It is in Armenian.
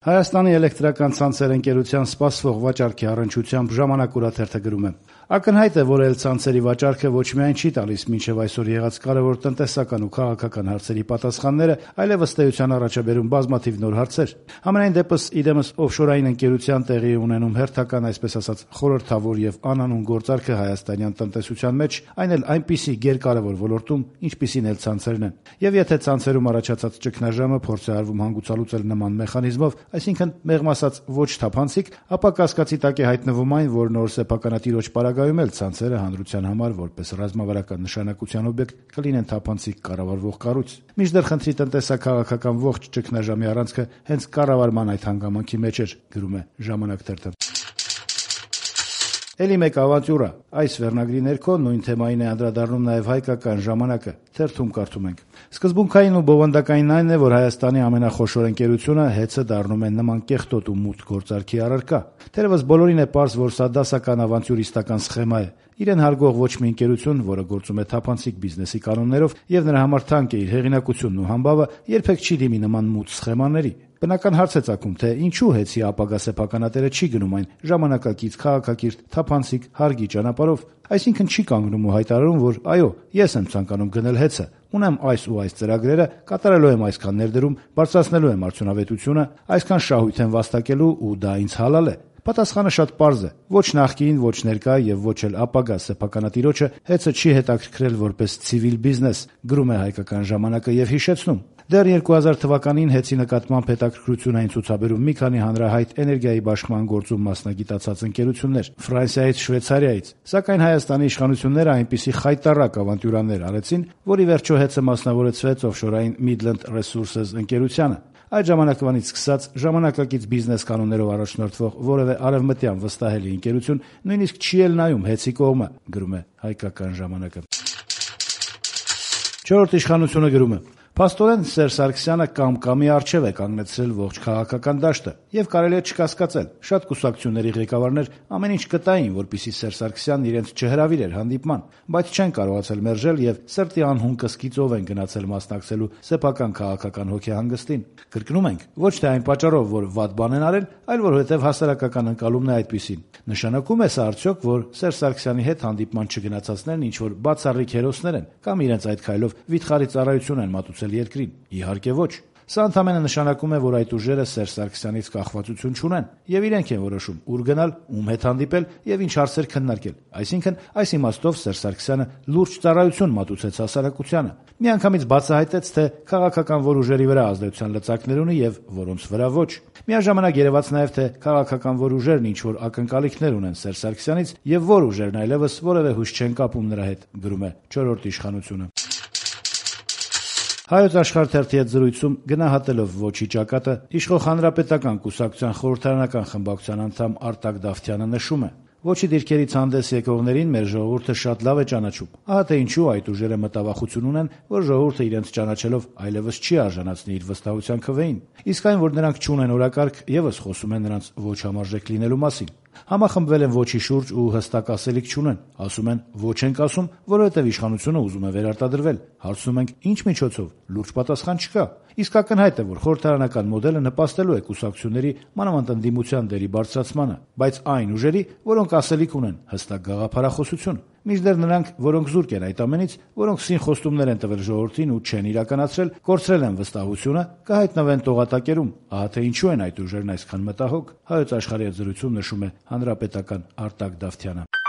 Հայաստանի էլեկտրական ցանցեր ընկերության սպասվող վաճառքի առնչությամբ «Ժամանակ» օրաթերթը գրում է. «Ակնհայտ է, որ էլցանցերի վաճառքը ոչ միայն չի տալիս մինչև այսօր եղած կարևոր տնտեսական ու քաղաքական հարցերի պատասխանները, այլև ըստ էության առաջաբերում բազմաթիվ նոր հարցեր։ Համենայն դեպս, իդեմս օֆշորային ընկերության տեղի ունենում հերթական, այսպես ասած, խորհրդավոր եւ անանուն գործարքը հայաստանյան տնտեսության մեջ, այն էլ այնպիսի գերկարևոր ոլորտում, ինչպիսին էլ ցանցերն են։ Եվ եթե ցանցերում առաջացած ճգնաժամը փորձ է արվում հանգուցալուծել նման մեխանիզմով, այսինքն մեղմ ասած ոչ թափանցիկ, ապա կասկածի տակ է հայտնվում այն, որ նոր սեփականատիրոջ պարագայում էլ ցանցերը հանրության համար որպես ռազմավարական նշանակության օբյեկտ կլինեն թափանցիկ կառավարվող կառույց։ Մինչդեռ խնդրի տնտեսա-քաղաքական ողջ ճգնաժամի առանցքը հենց կառավարման այդ հանգամանքի մեջ էր, գրում է «Ժամանակ» թերթը։ Էլի մեկ ավանտյուրա։ Այս վերնագրի ներքո նույն թեմային է անդրադառնում նաև հայկական «Ժամանակը»։ Թերթում կարդում ենք. «Սկզբունքային ու բովանդակային այն է, որ Հայաստանի ամենախոշոր ընկերությունը ՀԵՑ-ը դառնում է նման կեղտոտ ու մութ գործարքի առարկա։ Թերևս բոլորին է պարզ, որ սա դասական ավանտյուրիստական սխեմա է։ Իրեն հարգող ոչ մի ընկերություն, որը գործում է թափանցիկ բիզնեսի կանոններով եւ նրա համար թանկ է իր հեղինակությունն ու համբավը, երբեք չի դիմի նման մութ սխեմաների։ Բնական հարց է ծագում, թե ինչու ՀԵՑ-ի ապագա սեփականատերը չի գնում այն ժամանակակից, քաղաքակիրթ, թափանցիկ, հարգի ճանապարհով, այսինքն չի կանգնում ու հայտարարում, որ այո, ես եմ ցանկանում գնել ՀԵՑ-ը, ունեմ այս ու այս ծրագրերը, կատարելու եմ այսքան ներդրում, բարձրացնելու եմ արդյունավետությունը, այսքան շահույթ եմ վաստակելու ու դա ինձ հալալ է։ Պատասխանը շատ պարզ է. ոչ նախկին, ոչ ներկա եւ ոչ էլ ապագա սեփականատիրոջը ՀԵՑ-ը չի հետաքրքրել որպես ցիվիլ բիզնես, գրում է հայկական «Ժամանակը» եւ հիշեցնում. դեռ 2000 թվականին ՀԵՑ-ի նկատմամբ հետաքրքրություն էին ցուցաբերում մի քանի հանրահայտ էներգիայի բաշխման գործում մասնագիտացած ընկերություններ Ֆրանսիայից, Շվեյցարիայից, սակայն Հայաստանի իշխանությունները այնպիսի խայտառակ ավանտյուրաներ արեցին, որ ի վերջո ՀԵՑ-ը մասնավորեցվեց օֆշորային Midland Resources ընկերությանը։ Այդ ժամանակվանից սկսած ժամանակակից բիզնես կանոններով առաջնորդվող որևէ արևմտյան վստահելի ընկերություն նույնիսկ չի էլ նայում ՀԵՑ-ի կողմը, գրում է հայկական «Ժամանակը»։ Չորրորդ իշխանությունը գրում է. «Փաստորեն Սերժ Սարգսյանը կամ-կամի առջև է կանգնեցրել ողջ քաղաքական դաշտը, եւ կարելի է չկասկածել, շատ կուսակցությունների ղեկավարներ ամեն ինչ կտային, որպեսզի Սերժ Սարգսյանն իրենց չհրավիրեր հանդիպման, բայց չեն կարողացել մերժել եւ սրտի անհուն կսկիծով են գնացել մասնակցելու սեփական քաղաքական հոգեհանգստին։ Կրկնում ենք, ոչ թե այն պատճառով, որ վատ բան են արել, այլ որովհետեւ հասարակական ընկալումն է այդպիսին։ Նշանակում է սա արդյոք, որ Սերժ Սարգսյանի հետ հանդիպման չգնացածներն ինչ-որ բացառիկ հերոսներ են կամ իրենց այդ քայլով վիթխարի ծառայություն են մատուցել երկրին։ Իհարկե ոչ։ Սա ընդհանրապես նշանակում է, որ այդ ուժերը Սերժ Սարգսյանից կախվածություն չունեն եւ իրենք են որոշում ուր գնալ, ում հետ հանդիպել եւ ինչ հարցեր քննարկել։ Այսինքն, այս իմաստով Սերժ Սարգսյանը լուրջ ծառայություն մատուցեց հասարակությանը։ Միանգամից բացահայտեց, թե քաղաքական որ ուժերի վրա ազդեցության լծակներ ունի եւ որոնց վրա ոչ։ Միաժամանակ երևաց նաեւ, թե քաղաքական որ ուժերն ինչ որ ակնկալիքներ ունեն Սերժ Սարգսյանից եւ որ ուժերն այլևս որևէ հույս չեն կապում նրա հետ, գրում է չորրորդ իշխանությունը։ Հայոց Աշխարհ թերթի հետ զրույցում գնահատելով ոչի ճակատը, իշխող հանրապետական կուսակցության խորհրդարանական խմբակցության անդամ Արտակ Դավթյանը նշում է. «Ոչի դիրքերից հանդես եկողներին մեր ժողովուրդը շատ լավ է ճանաչում։ Ահա թե ինչու այդ ուժերը մտավախություն ունեն, որ ժողովուրդը իրենց ճանաչելով այլևս չի արժանացնի իր վստահության քվեին։ Իսկ այն, որ նրանք չունեն օրակարգ, եւս խոսում է նրանց ոչ համարժեք լինելու մասին։ Համախմբվել են ոչի շուրջ ու հստակ ասելիք չունեն։ Ասում են ոչ ենք ասում, որովհետև իշխանությունը ուզում է վերարտադրվել։ Հարցնում ենք ինչ միջոցով։ Լուրջ պատասխան չկա։ Իսկ ակնհայտ է, որ խորհրդարանական մոդելը նպաստելու է կուսակցությունների, մանավանդ ընդդիմության դերի բարձրացմանը, բայց այն ուժերի, որոնք ասելիք ունեն, հստակ գաղափարախոսություն։ Մինչդեռ նրանք, որոնք զուրկ են այդ ամենից, որոնք սին խոստումներ են տվել ժողովրդին ու չեն իրականացրել, կորցրել են վստահությունը, կհայտնվեն տողատակերում։ Ահա թե ինչու են այդ ուժերն այսքան մտահոգ։ Հայոց Աշխարհի հետ զրույցում նշում է հանրապետական Արտակ Դավթյանը։